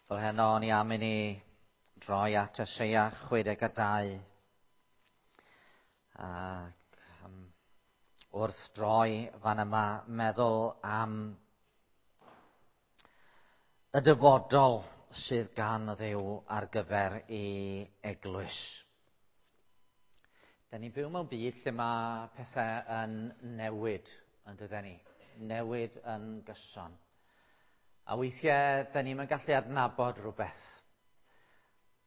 Fel heno, o'n i am i ni droi at Eseia 62. Ac wrth droi fan yma, meddwl am y dyfodol sydd gan Dduw ar gyfer ei eglwys. Da ni'n byw mewn byd lle mae pethau yn newid, yn dydyn ni? Newid yn gyson. A weithiau, da ni'n gallu adnabod rhywbeth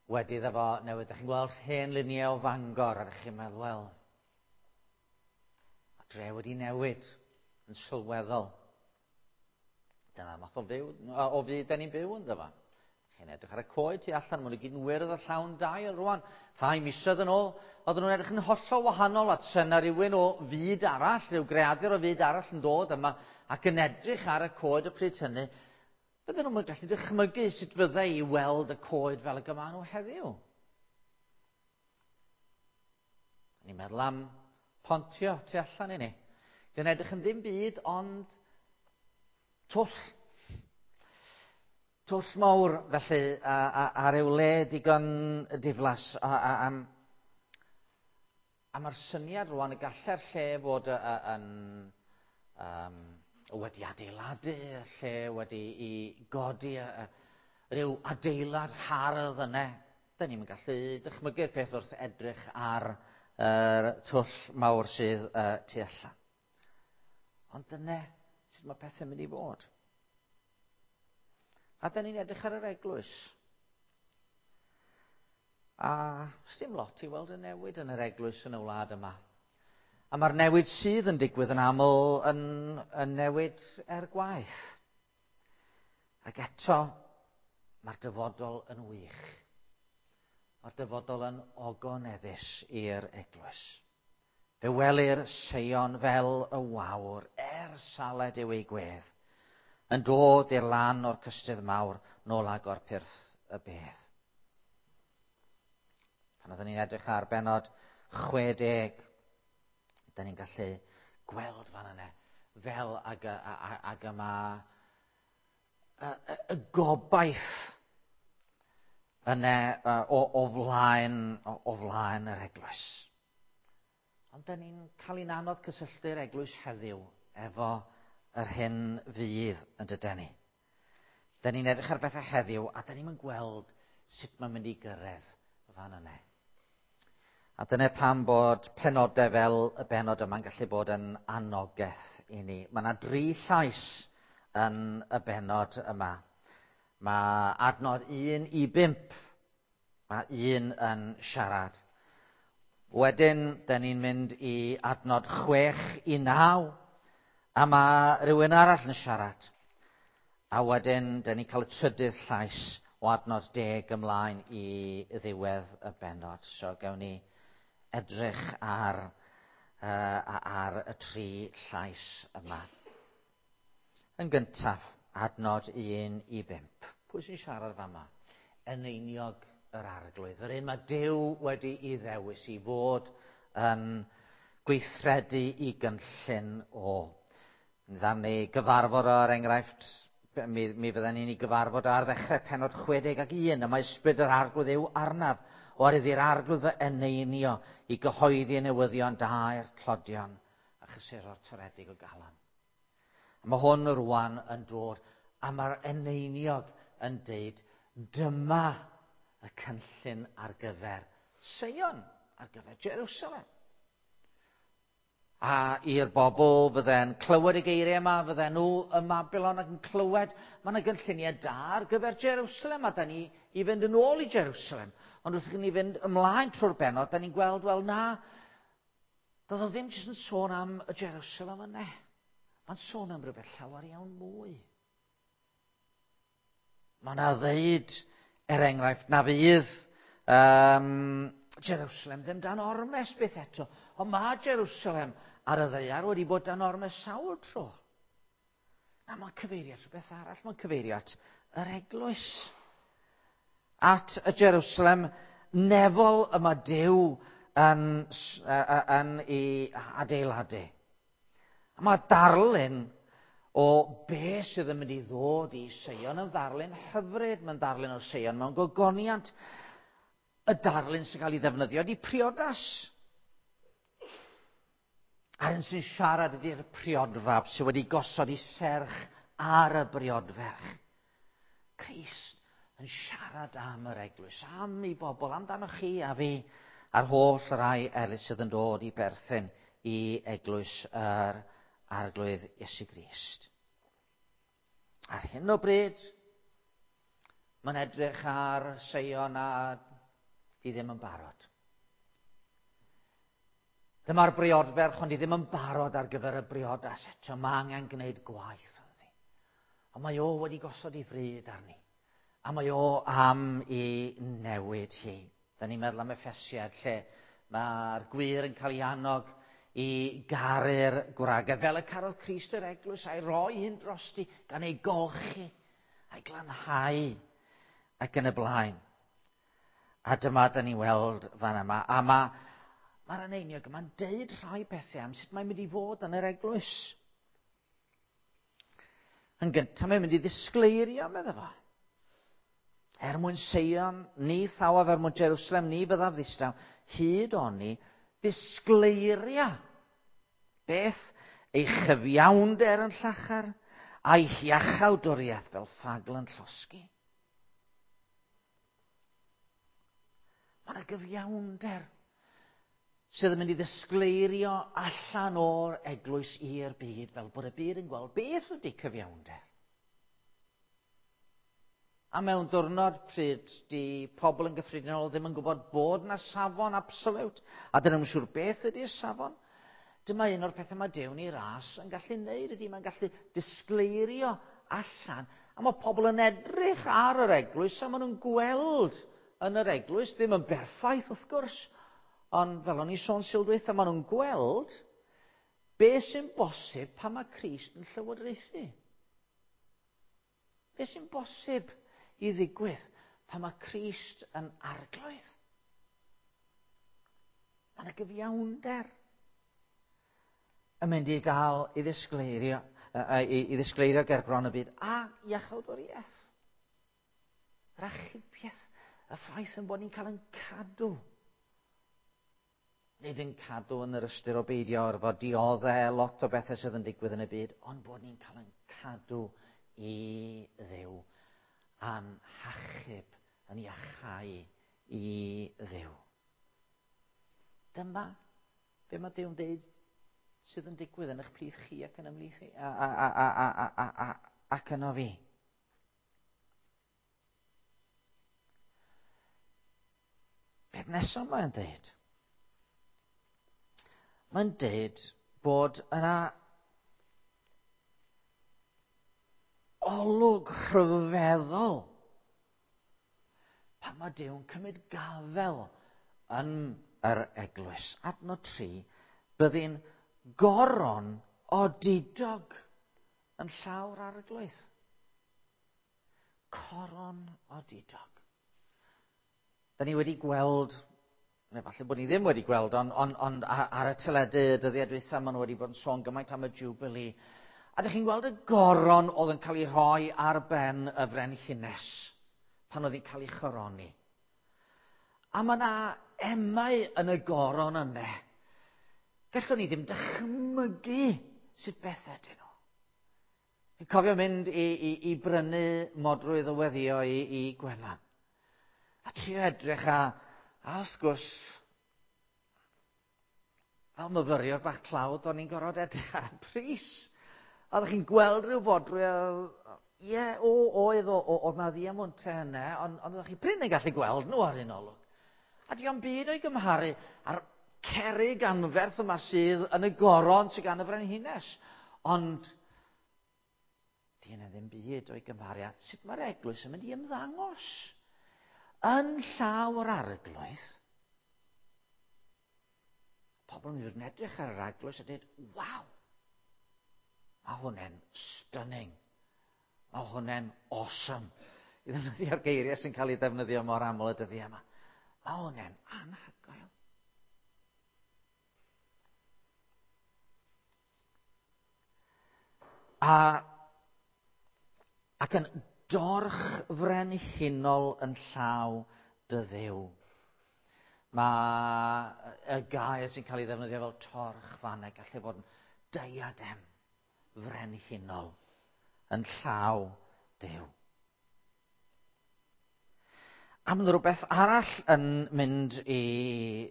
wedi iddo fo newid. Da chi'n gweld hen luniau o Fangor a da chi'n meddwl, wel, mae dre wedi newid yn sylweddol. Dyna'r math o, fyw, o fyd da ni'n byw ynddo fo. Chi'n edrych ar y coed tu allan, maen nhw gyd yn wyrdd a llawn dail rwan. Rhai misoedd yn ôl, oedden nhw'n edrych yn hollol wahanol at yna rhywun o fyd arall, rhyw greadur o fyd arall yn dod yma ac yn edrych ar y coed y pryd hynny. Bydden nhw'n gallu dychmygu sut fyddai i weld y coed fel y gyma nhw heddiw. Ni'n meddwl am pontio tu allan i ni. Dwi'n edrych yn ddim byd ond twll. Twll mawr, felly, a, a, a ryw le digon diflas. A, a, a, a mae'r syniad rwan y gallai'r lle fod yn, um, wedi adeiladu, y lle wedi i godi a, rhyw adeilad hardd yna. Da ni'n gallu dychmygu'r peth wrth edrych ar yr twll mawr sydd tu allan. Ond dyna sut mae pethau'n mynd i fod. A da ni'n edrych ar yr eglwys. A sdim lot i weld y newid yn yr eglwys yn y wlad yma. A mae'r newid sydd yn digwydd yn aml yn, yn newid er gwaeth. Ac eto, mae'r dyfodol yn wych. Mae'r dyfodol yn ogoneddus i'r eglwys. Fe welir Seion fel y wawr, er saled yw ei gwedd, yn dod i'r lan o'r cystudd mawr, nôl agor pyrth y bedd. Pan oeddwn ni'n edrych ar benod 60, da ni'n gallu gweld fan yna fel ag, ag y mae y, y, y gobaith yna o, o, flaen, o, o flaen yr eglwys. Ond da ni'n cael ein anodd cysylltu'r eglwys heddiw efo yr hyn fydd yn dydyn ni. Da ni'n edrych ar bethau heddiw a da ni'n gweld sut mae'n mynd i gyrraedd fan yna. A dyna pam bod penodau fel y benod yma'n gallu bod yn anogaeth i ni. Mae yna dri llais yn y benod yma. Mae adnod 1 i 5, mae un yn siarad. Wedyn, da ni'n mynd i adnod 6 i 9, a mae rhywun arall yn siarad. A wedyn, da ni'n cael y trydydd llais o adnod 10 ymlaen i ddiwedd y benod. So, gawn ni edrych ar, uh, ar y tri llais yma. Yn gyntaf, adnod 1 i 5. Pwy sy'n siarad fama? Eneiniog yr arglwydd. Yr un mae Duw wedi i ddewis i fod yn gweithredu i gynllun o. Dda'n ni gyfarfod o, er enghraifft, mi, mi fydden ni'n ei gyfarfod ar ddechrau penod 61, a mae ysbryd yr arglwydd yw arnaf, oherwydd i'r arglwydd fy eneinio i gyhoeddi y newyddion da i'r tlodion a chysuro'r toredig o galon. A mae hwn rwan yn dod, a mae'r eneiniog yn deud, dyma y cynllun ar gyfer Seion, ar gyfer Jerusalem. A i'r bobl fydde'n clywed y geiriau yma, fydden nhw ym Mabilon ac yn clywed, mae yna gynlluniau da ar gyfer Jerusalem, a da ni i fynd yn ôl i Jerusalem. Ond wrth i ni fynd ymlaen trwy'r benod, da ni'n gweld, wel na, doedd o ddim jyst yn sôn am y Jerusalem yna. Mae'n sôn am rhywbeth llawer iawn mwy. Mae yna ddeud, er enghraifft, na fydd um, Jerusalem ddim dan ormes byth eto. Ond mae Jerusalem ar y ddaear wedi bod dan ormes sawl tro. Na, mae'n cyfeirio at rhywbeth arall. Mae'n cyfeirio at yr eglwys. At y Jerusalem nefol y mae Duw yn, yn ei adeiladu. A mae darlun o be sydd yn mynd i ddod i Seion yn ddarlun hyfryd. Mae'n darlun o Seion mewn gogoniant. Y darlun sy'n cael ei ddefnyddio ydy priodas. A'r un sy'n siarad ydy'r priodfab sydd wedi gosod ei serch ar y briodferch. Crist yn siarad am yr eglwys, am ei bobl, amdanoch chi a fi, a'r holl rai eraill sydd yn dod i berthyn i eglwys yr Arglwydd Iesu Grist. Ar hyn o bryd, mae'n edrych ar Seion a di ddim yn barod. Dyma'r briodferch, ond di ddim yn barod ar gyfer y briodas eto. Mae angen gwneud gwaith ynddi. Ond mae o wedi gosod ei fryd arni. A mae o am i newid hi. Da ni'n meddwl am Effesiad lle mae'r gwir yn cael ei annog i garu'r gwragedd fel y carodd Crist yr eglwys a'i roi hyn drosti gan ei golchi a'i glanhau ac yn y blaen. A dyma da ni'n weld fan yma. A mae'r eneiniog yma'n deud rhai pethau am sut mae'n mynd i fod yn yr eglwys. Yn gyntaf, mae'n mynd i ddisgleirio, medda fo. Er mwyn Seion, ni thawaf, er mwyn Jerusalem, ni byddaf ddistaw, hyd oni ddisgleiria. Beth? Ei chyfiawnder yn llachar, a'i hiachawdwriaeth fel ffagl yn llosgi. Mae yna gyfiawnder sydd yn mynd i ddisgleirio allan o'r eglwys i'r byd, fel bod y byd yn gweld beth ydy cyfiawnder. A mewn diwrnod pryd di pobl yn gyffredinol ddim yn gwybod bod na safon absoliwt, a dyn nhw'n siŵr beth ydy'r safon, dyma un o'r pethau mae Duw ni ras yn gallu neud ydy, mae'n gallu disgleirio allan. A mae pobl yn edrych ar yr eglwys a maen nhw'n gweld yn yr eglwys, ddim yn berffaith wrth gwrs, ond fel o'n i sôn sil dwytha, maen nhw'n gweld beth sy'n bosib pan mae Crist yn llywodraethu. Beth sy'n bosib i ddigwydd pan mae Crist yn arglwydd. Mae yna gyfiawnder yn mynd i gael i ddisgleirio, i ddisgleirio ger bron y byd a iachawdwriaeth. Yr achubiaeth, y ffaith yn bod ni'n cael yn cadw. Nid yn cadw yn yr ystyr o beidio orfod dioddau lot o bethau sydd yn digwydd yn y byd, ond bod ni'n cael yn cadw i Dduw a'n hachub yn iachau i Dduw. Dyma be mae Duw'n deud sydd yn digwydd yn eich plith chi ac yn ymhlith chi ac yno fi. Beth nesaf mae'n deud? Mae'n deud bod yna olwg rhyfeddol pan mae Duw'n cymryd gafel yn yr eglwys. Adnod 3, byddi'n goron odidog yn llawr arglwydd. Coron odidog. Da ni wedi gweld, neu falle bod ni ddim wedi gweld, ond ar y teledu y dyddiau dwytha, maen nhw wedi bod yn sôn gymaint am y Jubilee. A ydych chi'n gweld y goron oedd yn cael ei rhoi ar ben y frenhines pan oedd hi'n cael ei choroni. A mae yna emau yn y goron yna. Gallwn ni ddim dychmygu sut beth ydyn nhw. Fi'n cofio mynd i brynu modrwydd o weddio i Gwennan. A trio edrych a wrth gwrs, fel myfyriwr bach tlawd, o'n i'n gorfod edrych ar y pris. A oeddech chi'n gweld rhyw fodrwy, ie, oedd, oedd na ddiamwntau yna, ond oeddech chi prin yn gallu gweld nhw ar un olwg. A dio'm byd o'i gymharu â'r cerrig anferth yma sydd yn y goron sydd gan y frenhines. Ond di yna ddim byd o'i gymharu â sut mae'r eglwys yn mynd i ymddangos yn llaw yr arglwydd. Pobl yn mynd i edrych ar yr eglwys a dweud, waw, mae hwnna'n stunning. Mae hwnna'n awesome. I ddefnyddio'r geiriau sy'n cael ei ddefnyddio mor aml y dyddiau yma. Mae hwnna'n anhygoel. A Ac yn dorch frenhinol yn llaw dy Dduw. Mae y gair sy'n cael ei ddefnyddio fel torch fanna gallu fod yn diadem frenhinol yn llaw Duw. A mae rhywbeth arall yn mynd i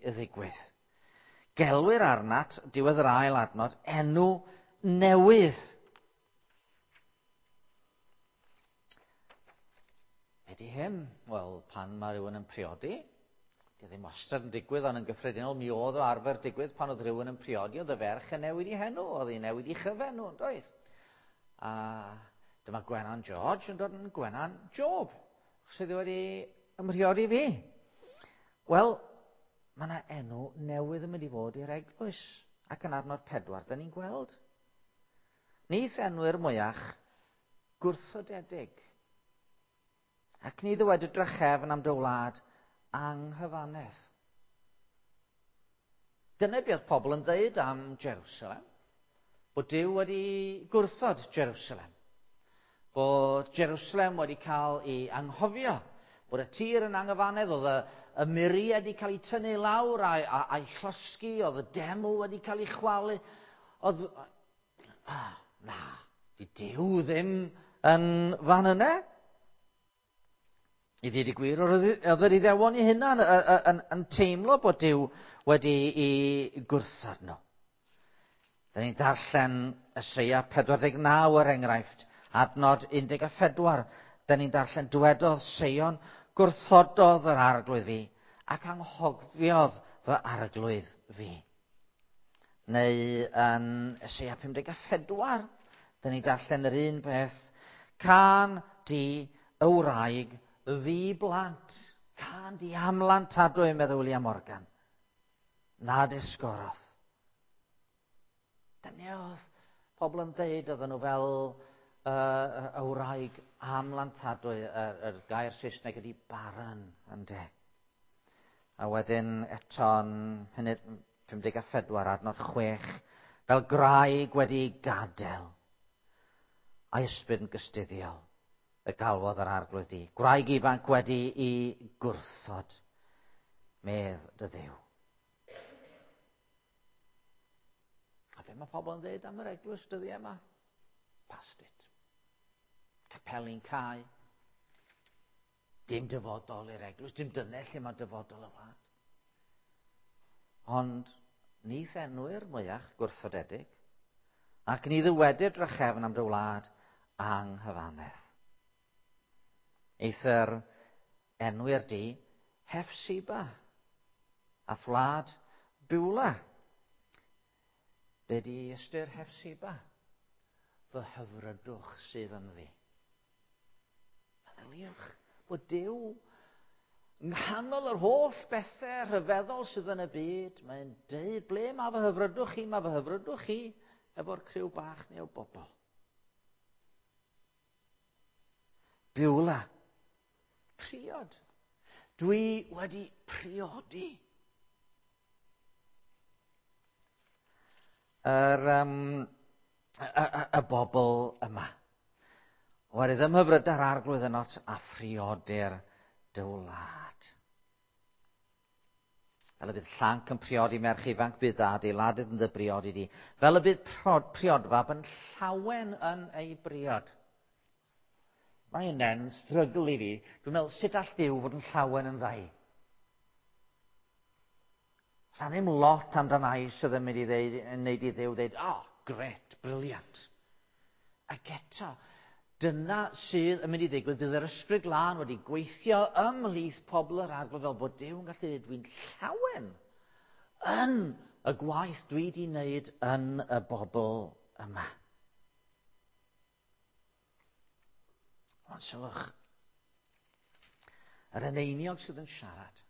ddigwydd. Gelwir arnat, diwedd yr ail adnod, enw newydd. Be di hyn? Wel, pan mae rhywun yn priodi, di ddim wastad yn digwydd, ond yn gyffredinol mi oedd o arfer digwydd pan oedd rhywun yn priodi, oedd y ferch yn newid ei henw, oedd hi'n newid ei chyfenw, yn doedd? A dyma Gwenan George yn dod yn Gwenan Job, sydd wedi ymhriodi fi. Wel, mae yna enw newydd yn mynd i fod i'r eglwys, ac yn adnod 4, da ni'n gweld. Ni enwyr mwyach gwrthodedig. Ac ni ddywed y drachefn am dy wlad anghyfannedd. Dyna beth pobl yn dweud am Jerusalem. Bod Duw wedi gwrthod Jerusalem. Bod Jerusalem wedi cael ei anghofio. Bod y tir yn anghyfannedd, oedd y muriau wedi cael ei tynnu lawr a'i llosgi, oedd y deml wedi cael ei chwalu. Oedd... Na, di Duw ddim yn fan yna. I ddweud y gwir, oedd yr Iddewon eu hunan yn teimlo bod Duw wedi ei gwrthod nhw. Da ni'n darllen Eseia 49 er enghraifft, adnod 14. Da ni'n darllen dywedodd Seion, gwrthododd yr arglwydd fi ac anghofiodd fy arglwydd fi. Neu yn Eseia 54, da ni'n darllen yr un peth, can di y wraig ddi blant, can di amlantadwy, meddwl William Morgan, nad esgorodd. Dyna oedd pobl yn dweud oedden nhw fel y wraig amlantadwy, y gair Saesneg ydy barren, ynde. A wedyn eto'n 54 adnod 6, fel graig wedi gadael, a'i ysbryd yn gystuddiol, y galwodd yr arglwydd di. Gwraig ifanc wedi i gwrthod, medd dy Dduw. A be mae pobl yn dweud am yr eglwys dyddiau yma? Past it. Capeli'n cau. Dim dyfodol i'r eglwys, dim dyna lle mae dyfodol y wlad. Ond ni thenwyr mwyach gwrthodedig, ac ni ddywedir drachefn am dy wlad anghyfannedd. Eithr enwyr di Hefsiba a thwlad Bwla. Be di ystyr Hefsiba? Fy hyfrydwch sydd ynddi. Meddyliwch bod Duw yng nghanol yr holl bethau rhyfeddol sydd yn y byd, mae'n deud, ble mae fy hyfrydwch chi, mae fy hyfrydwch chi efo'r criw bach neu o bobl. Bwla. Priod. Dwi wedi priodi. Y bobl yma. Oherwydd ymhyfryd ar arglwydd ynot a phriodir dy wlad. Fel y bydd llanc yn priodi merch ifanc, bydd adeiladydd yn dy briodi di. Fel y bydd priodfab yn llawen yn ei briod. Mae hynny'n strygl i fi. Dwi'n meddwl, sut all Duw fod yn llawen yn ddau? Sa ddim lot amdana i sydd yn mynd i ddeud, yn neud i Dduw ddeud, oh, gret, brilliant. Ac eto, dyna sydd yn mynd i ddigwydd, bydd yr ysbryd glân wedi gweithio ymhlith pobl yr arglwydd fel bod Duw yn gallu dweud, dwi'n llawen yn y gwaith dwi wedi wneud yn y bobl yma. Ond sylwch, yr eneiniog sydd yn siarad.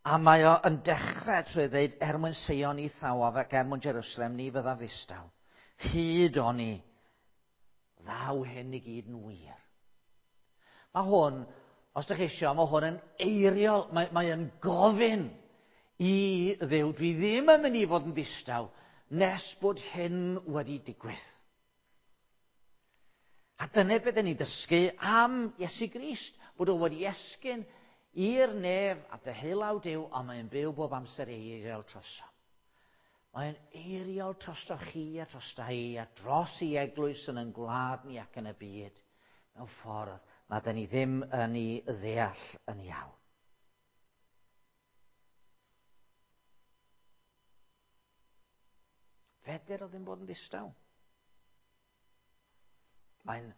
A mae o yn dechrau trwy ddweud, er mwyn Seion ni thawaf ac er mwyn Jerusalem ni fyddaf ddistaw. Hyd oni ddaw hyn i gyd yn wir. Mae hwn, os ydych chi eisiau, mae hwn yn eiriol, mae yn gofyn i Dduw, dwi ddim yn mynd i fod yn ddistaw nes bod hyn wedi digwydd. A dyna beth ni'n dysgu am Iesu Grist, bod o wedi esgyn i'r nef a deheulaw Duw, a mae'n byw bob amser i eiriol troso. Mae'n eiriol drosto chi a drosta i a dros i eglwys yn ein gwlad ni ac yn y byd mewn ffordd na dyn ni ddim yn ei ddeall yn iawn. Feder o ddim bod yn ddistaw. Mae'n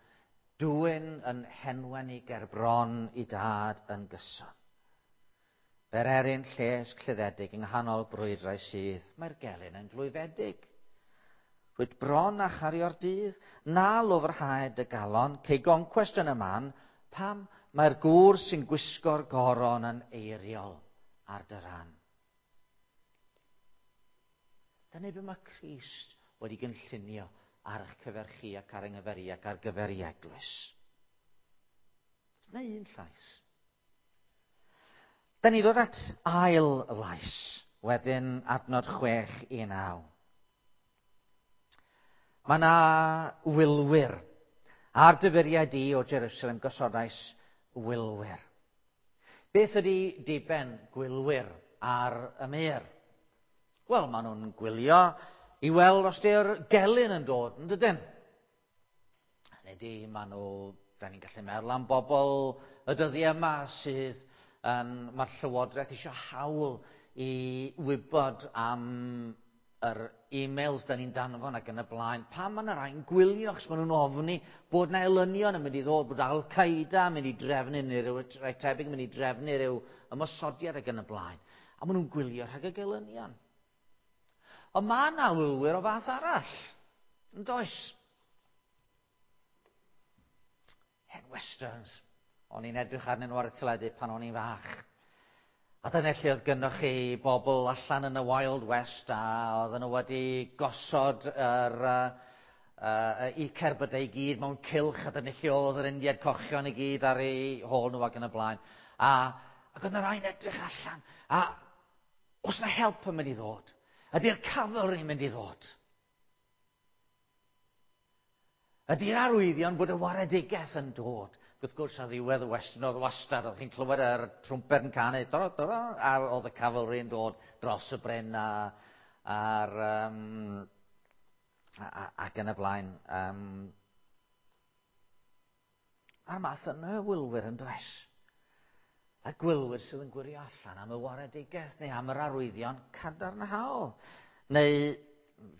dwyn yn henwen i gerbron i dad yn gyson. Fer erin llesg lluddedig yng nghanol brwydrau sydd, mae'r gelyn yn glwyfedig. Rwyt bron a chario'r dydd, na lwfrhaed y galon, cei goncwest yn y man, pam mae'r gŵr sy'n gwisgo'r goron yn eiriol ar dy ran. Dyna beth mae Crist wedi gynllunio ar eich cyfer chi ac ar yng nghyfer i ac ar gyfer i eglwys. Dyna un llais. Da ni ddod at ail lais, wedyn adnod 6 i 9. Mae yna wylwyr. Ar dyfyriau di o Jerusalem gosodais wylwyr. Beth ydy diben gwylwyr ar y mur? Wel, maen nhw'n gwylio i weld os di'r gelyn yn dod, yn dydyn? Hynny ydi, maen nhw, da ni'n gallu meddwl am bobl y dyddiau yma sydd yn, mae'r llywodraeth eisiau hawl i wybod am yr e-mails da ni'n danfon ac yn y blaen. Pam mae yna rhai'n gwylio, achos maen nhw'n ofni bod yna elynion yn mynd i ddod, bod Al-Qaeda yn mynd i drefnu, neu rhyw rhai tebyg yn mynd i drefnu rhyw ymosodiad ac yn y blaen. A maen nhw'n gwylio rhag y gelynion. Ond mae yna wylwyr o fath arall, yn does? Hen westerns. O'n i'n edrych arnyn nhw ar y teledu pan o'n i'n fach. A dyna lle oedd gynnoch chi bobl allan yn y Wild West a oedden nhw wedi gosod yr, eu cerbydau i gyd mewn cylch a dyna lle oedd yr Indiad cochion i gyd ar eu hôl nhw ac yn y blaen. A, ac oedd yna rhai'n edrych allan. A oes na help yn mynd i ddod? Ydy'r cavalry yn mynd i ddod? Ydy'r arwyddion bod y waredigaeth yn dod? Wrth gwrs, ar ddiwedd y western oedd wastad, oedd chi'n clywed yr trwmped yn canu, doro, doro, a oedd y cavalry yn dod dros y bryn a, a'r, um, a, ac yn y blaen. Um, a'r math yna o wylwyr yn does. A gwylwyr sydd yn gwirio allan am y waredigaeth neu am yr arwyddion cadarnhaol. Neu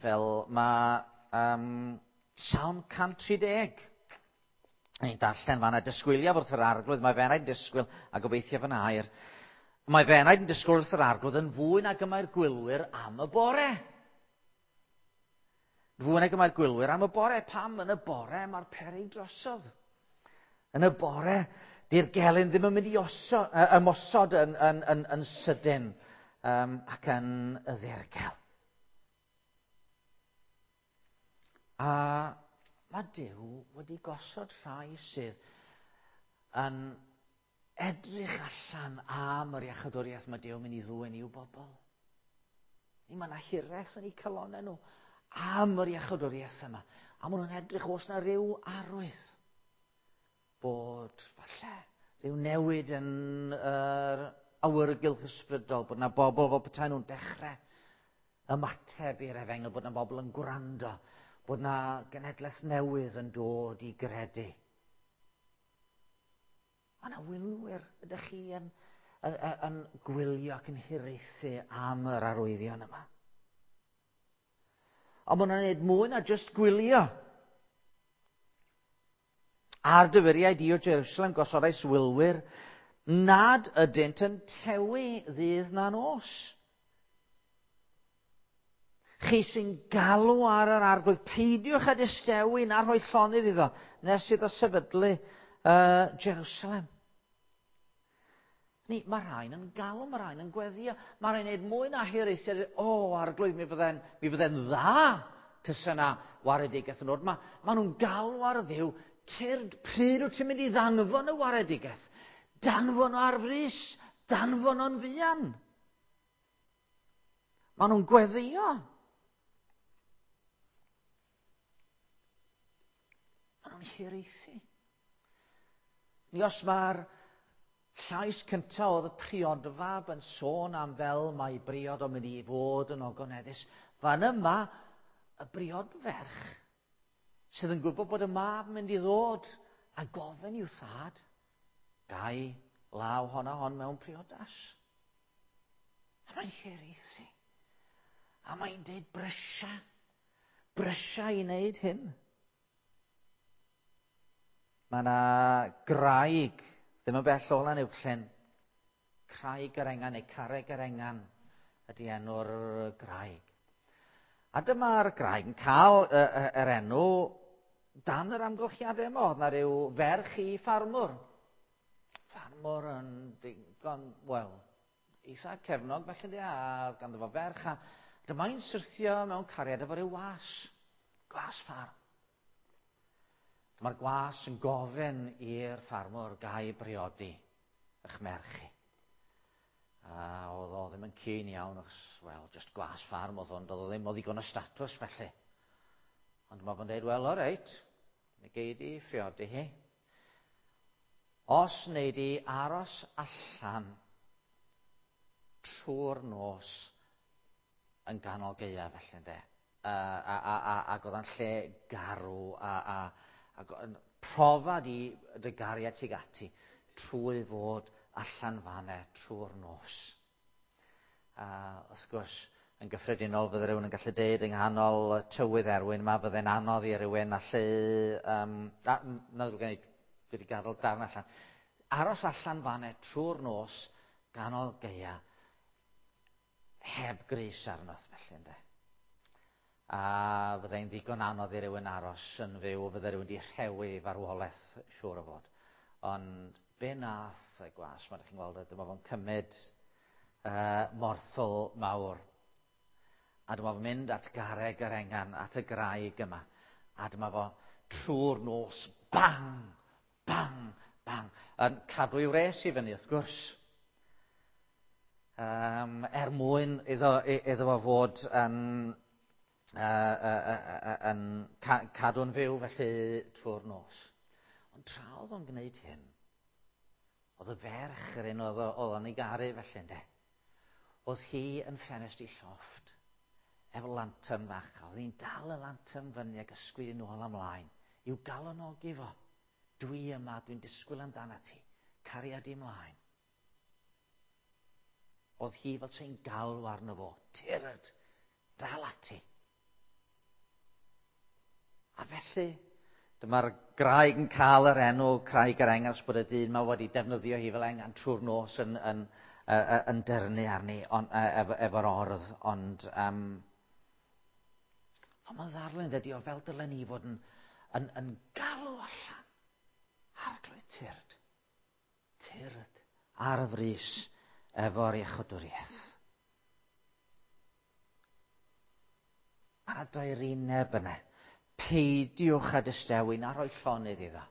fel mae um, Salm 130. Ni'n darllen fanna, disgwyliaf wrth yr arglwydd, mae fe'n yn disgwyl a gobeithio fy air. Mae fe'n yn disgwyl wrth yr arglwydd yn fwy nag y mae'r gwylwyr am y bore. Fwy nag y mae'r gwylwyr am y bore. Pam yn y bore mae'r peryg drosodd? Yn y bore, di'r gelyn ddim yn mynd i oso, ymosod yn, yn, yn, yn sydyn um, ac yn y ddirgel. A mae Duw wedi gosod rhai sydd yn edrych allan am yr iachadwriaeth mae Duw yn mynd i ddwyn i'w bobl. Ni mae yna hiraeth yn eu calonau nhw am yr iachadwriaeth yma. A maen nhw'n edrych os na rhyw arwydd bod falle rhyw newid yn yr awyrgylch ysbrydol, bod yna bobl fel petai nhw'n dechrau ymateb i'r efengyl, bod yna bobl yn gwrando, bod yna genedlaeth newydd yn dod i gredu. Mae yna wylwyr, ydych chi yn, yn, yn gwylio ac yn hiraethu am yr arwyddion yma. Ond maen nhw'n gwneud mwy na jyst gwylio. Ar dyfyriau di o Jerusalem gosodais wylwyr nad ydynt yn tewi ddydd na nos. Chi sy'n galw ar yr arglwydd, peidiwch â distewi na rhoi llonydd iddo, nes iddo sefydlu uh, Jerusalem. Ni, mae rhain yn galw, mae rhain yn gweddio, mae rhain yn gwneud mwy na hiraethu, o, oh, arglwydd, mi fydde'n, mi fydde'n dda tysa na waredigaeth yn dod. Mae, ma nhw'n galw ar ddiw, tyrd, pryd wyt ti'n mynd i ddanfon y waredigaeth? Danfon o ar frys, danfon o'n fuan. Maen nhw'n gweddio. Maen nhw'n Mae'n hiraethu. Ni os mae'r llais cyntaf oedd y priodfab yn sôn am fel mae briod o'n mynd i fod yn ogoneddus, fan yma y briodferch sydd yn gwybod bod y mab yn mynd i ddod a gofyn i'w thad, gai law hon a hon mewn priodas. A mae'n hiraethu. A mae'n deud brysia, brysia i wneud hyn. Mae yna graig, ddim yn bell o Lanuwchllyn, Craig yr Engan neu Carreg yr Engan ydy enw'r graig. A dyma'r graig yn cael yr enw dan yr amgylchiadau yma. Oedd na rhyw ferch i ffarmwr. Ffarmwr yn digon, wel, eitha cefnog felly, a oedd ganddo fo ferch, a dyma'n syrthio mewn cariad efo rhyw was, gwas ffarm. Dyma'r gwas yn gofyn i'r ffarmwr gai briodi eich merch chi. A oedd o ddim yn keen iawn, achos, wel, just gwas ffarm oedd o'n, doedd o ddim o ddigon o statws felly. Ond mae fo'n dweud, wel, o reit, mi gei di phriodi hi. Os wnei di aros allan trwy'r nos yn ganol gaeaf felly, ynde. A, a, a, a, ac oedd o'n lle garw a, a, a profa di dy gariad tuag ati trwy fod allan fanne trwy'r nos. A wrth gwrs, yn gyffredinol, fydde rhywun yn gallu deud yng nghanol tywydd erwin yma, fydde'n anodd i rywun allu... Um, a, na ddrwg gen i, dwi wedi gadael darn allan. Aros allan fanne trwy'r nos, ganol gaea, heb grys arno, felly ynde. A fyddai'n ddigon anodd i rywun aros yn fyw, fydde rhywun wedi rhewi farwolaeth, siŵr o fod. Ond be nath y gwas, mae chi'n gweld, dyma fo'n cymryd morthwl mawr. A dyma fo'n mynd at garreg yr engan, at y graig yma. A dyma fo trwy'r nos, bang, bang, bang, yn cadw ei wres i fyny, wrth gwrs. Um, er mwyn iddo, iddo fo fod yn, uh, uh, uh, yn ca cadw'n fyw felly trwy'r nos. Ond tra oedd o'n gwneud hyn, oedd y ferch yr un oedd o'n ei garu felly, ynde. Oedd hi yn ffenest i llofft, efo lantern fach, a oedd hi'n dal y lantern fyny ac ysgwyd yn ôl ymlaen, i'w galonogi fo. Dwi yma, dwi'n disgwyl amdana ti. Cariad i ymlaen. Oedd hi fel sy'n galw arno fo. Tyrd, dal ati. A felly, dyma'r graig yn cael yr enw Craig yr Engan, bod y dyn yma wedi defnyddio hi fel engan trwy'r nos yn, yn, yn, yn dyrnu arni on, efo, efo'r ordd, ond um, ond mae'n ddarlun dydy o fel dylen ni fod yn, yn, yn galw allan. Arglwydd tyrd. Tyrd ar y frys efo'r iechydwriaeth. Mae yna daerineb yna. Peidiwch â distewi na rhoi llonydd iddo.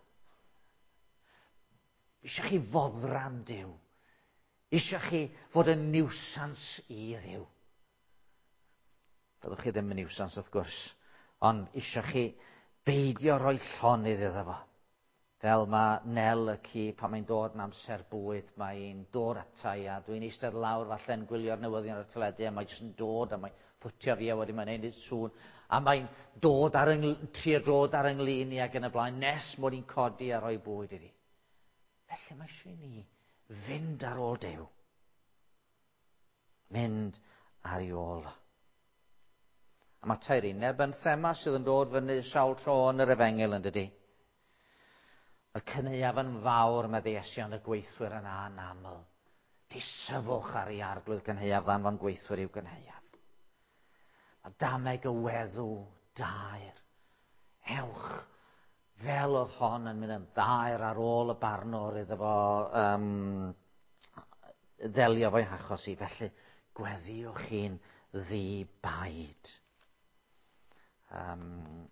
Eisiau chi foddran Duw. Eisiau chi fod yn niwsans i Dduw. Fyddwch chi ddim yn niwsans wrth gwrs, ond eisiau chi beidio rhoi llonydd iddo fo. Fel mae Nel y ci, pan mae'n dod yn amser bwyd, mae'n dod ata i a dwi'n eistedd lawr falle'n gwylio'r newyddion ar y teledu a mae jyst yn dod a mae'n ffwtio fi a wedyn mae'n neud sŵn a mae'n dod ar yng, trio dod ar ynglyn i ac yn y blaen nes mod i'n codi a rhoi bwyd iddi. Felly mae eisiau i ni fynd ar ôl Duw. Mynd ar ei ôl. A mae taerineb yn thema sydd yn dod fyny sawl tro yn yr efengyl yn dydy. Y cynaeaf yn fawr, medde Iesu, ond y gweithwyr yn anaml. Disyfwch ar ei arglwydd gynhaeaf ddanfon gweithwyr i'w gynhaeaf. Mae dameg y weddw daer. Ewch, fel oedd hon yn mynd yn ddaer ar ôl y barnwr iddo fo um, ddelio fo'i hachos i. Felly, gweddiwch chi'n ddi-baid. Um,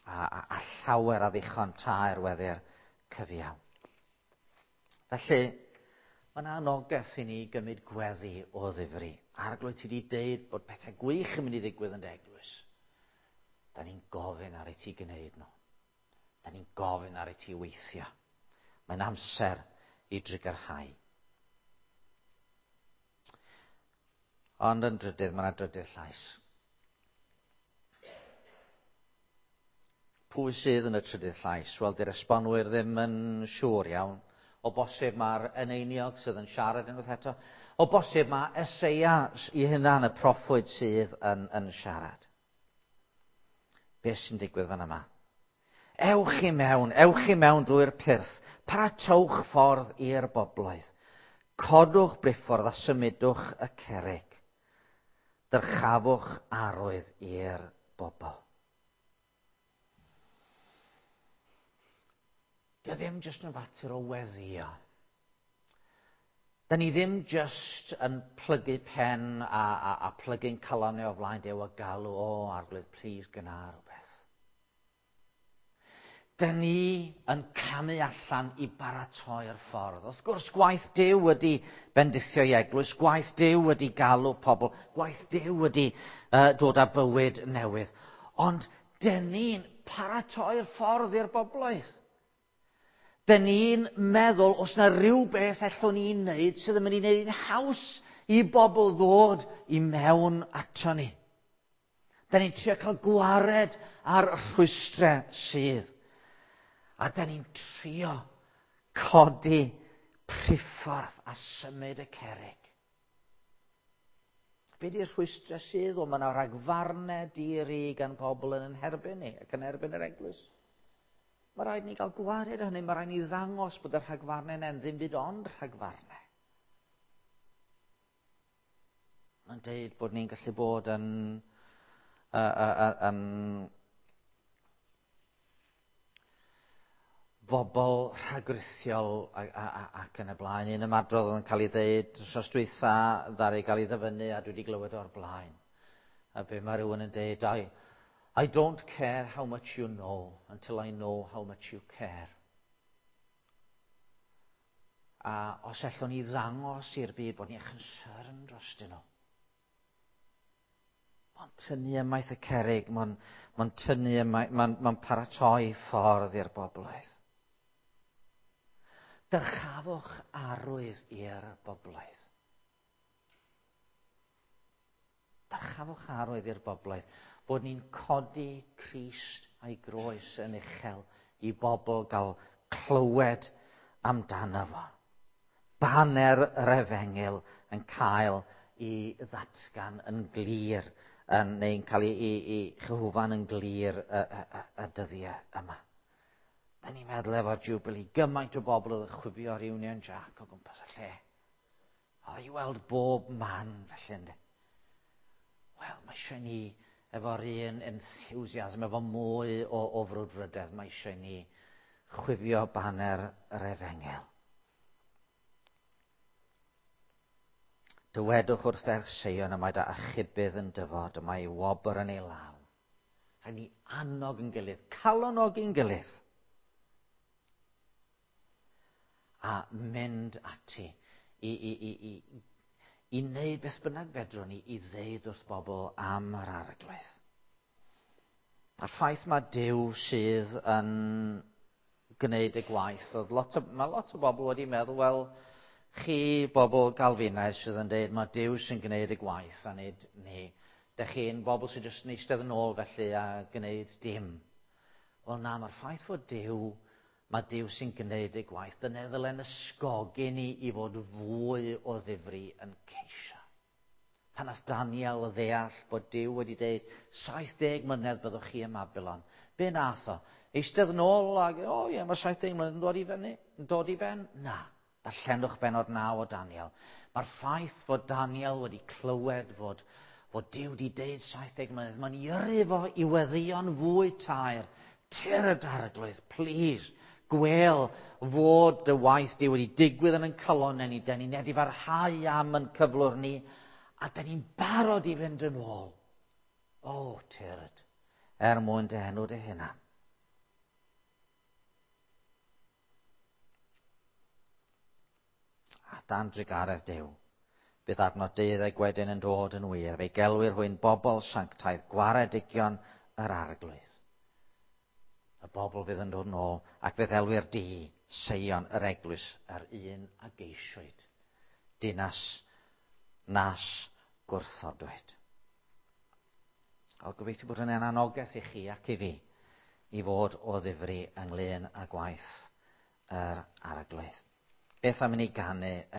a, a, a llawer a ddichon taer weddi'r cyfiawn. Felly, mae yna anogaeth i ni gymryd gweddi o ddifri. Arglwydd, ti wedi deud bod pethau gwych yn mynd i ddigwydd yn dy eglwys. Da ni'n gofyn ar i ti gwneud nhw. Da ni'n gofyn ar i ti weithio. Mae'n amser i drugarhau. Ond yn drydydd, mae yna drydydd llais. Pwy sydd yn y trydydd llais? Wel, di'r esbonwyr ddim yn siŵr iawn. O bosib mae'r eneiniog sydd yn siarad unwaith eto. O bosib mae Eseia i hunan y proffwyd sydd yn siarad. Beth sy'n digwydd fan yma? Ewch i mewn, ewch i mewn drwy'r pyrth. Paratowch ffordd i'r bobloedd. Codwch briffordd a symudwch y cerrig. Dyrchafwch arwydd i'r bobl. Dio ddim jyst yn fater o weddio. Da ni ddim jyst yn plygu pen a plygu'n calonnau o flaen Duw a galw, o, Arglwydd, please gyna rhywbeth. Da ni yn camu allan i baratoi'r ffordd. Wrth gwrs, gwaith Duw ydy bendithio i eglwys, gwaith Duw ydy galw pobl, gwaith Duw ydy dod â bywyd newydd. Ond dyn ni'n paratoi'r ffordd i'r bobloedd. Dyn ni'n meddwl os na rhywbeth allwn ni'n wneud sydd yn mynd i wneud yn haws i bobl ddod i mewn ato ni. Dyn ni'n trio cael gwared ar rhwystrau sydd. A dyn ni'n trio codi priffordd a symud y cerrig. Be di'r rhwystrau sydd? Wel, mae yna ragfarnau di-ri gan pobl yn herbyn ni ac yn erbyn yr eglwys. Mae rhaid ni gael gwared hynny, mae rhaid ni ddangos bod y rhagfarnau yna'n ddim byd ond rhagfarnau. Mae'n deud bod ni'n gallu bod yn bobl rhagrithiol ac yn y blaen. Un ymadrodd oedd yn cael ei ddeud wrthnos dwytha, ddaru gael ei ddyfynnu a dwi wedi glywed o'r blaen. A be mae rhywun yn deud, I don't care how much you know until I know how much you care. A os allwn ni ddangos i'r byd bod ni'n concern drostyn nhw. Mae'n tynnu ymaith y cerrig, mae'n tynnu ymaith, mae'n paratoi ffordd i'r bobloedd. Dyrchafwch arwydd i'r bobloedd. Dyrchafwch arwydd i'r bobloedd. Bod ni'n codi Crist a'i groes yn uchel i bobl gael clywed amdano fo. Baner yr efengyl yn cael ei ddatgan yn glir, neu'n cael ei chyhwfan yn glir y dyddiau yma. Da ni'n meddwl efo'r Jubilee, gymaint o bobl oedd yn chwifio'r Union Jack o gwmpas y lle. Oedd i weld bob man felly, ynddi. Wel, mae eisiau ni efo'r un enthusiasm, efo mwy o frwdfrydedd, mae eisiau ni chwifio baner yr efengyl. Dywedwch wrth ferch Seion y mae dy achubydd yn dyfod, y mae ei wobr yn ei law. Rhaid ni annog yn gilydd, calonogi'n gilydd. A mynd ati i wneud beth bynnag fedrwn ni i ddeud wrth bobl am yr Arglwydd. A'r ffaith mae Duw sydd yn gwneud y gwaith, oedd mae lot o bobl wedi meddwl, wel, chi bobl Galfinaidd sydd yn deud mae Duw sy'n gwneud y gwaith a nid ni. Dych chi'n bobl sy'n jyst yn eistedd yn ôl felly a gwneud dim. Wel na, mae'r ffaith fod Duw, mae Duw sy'n gwneud y gwaith, dyna ddylen ysgogi ni i fod fwy o ddifri yn ceisio. Pan nath Daniel ddeall bod Duw wedi deud 70 mlynedd byddwch chi ym Mabilon, be nath o? Eistedd yn ôl ag, o ie, mae 70 mlynedd yn dod i fyny, yn dod i ben? Na. Darllenwch bennod 9 o Daniel. Mae'r ffaith fod Daniel wedi clywed fod Duw wedi deud 70 mlynedd, mae'n i yrru fo i weddïo'n fwy taer. Tyrd Arglwydd, please, gwel fod dy waith di wedi digwydd yn ein calonnau ni, den ni'n edifarhau am yn cyflwr ni, a den ni'n barod i fynd yn ôl. O, tyrd, er mwyn dy enw dy hunan. A dan drugaredd Duw, bydd adnod 12 wedyn yn dod yn wir. Fe'i gelwir hwy'n bobl sanctaidd, gwaredigion yr Arglwydd. Y bobl fydd yn dod nôl ac fe ddelwyr di Seion yr eglwys yr un a geisiwyd. Dinas nas gwrthodwyd. O, gobeithio bod hynny'n anogaeth i chi ac i fi i fod o ddifri ynglyn â gwaith yr arglwydd. Beth am i ni ganu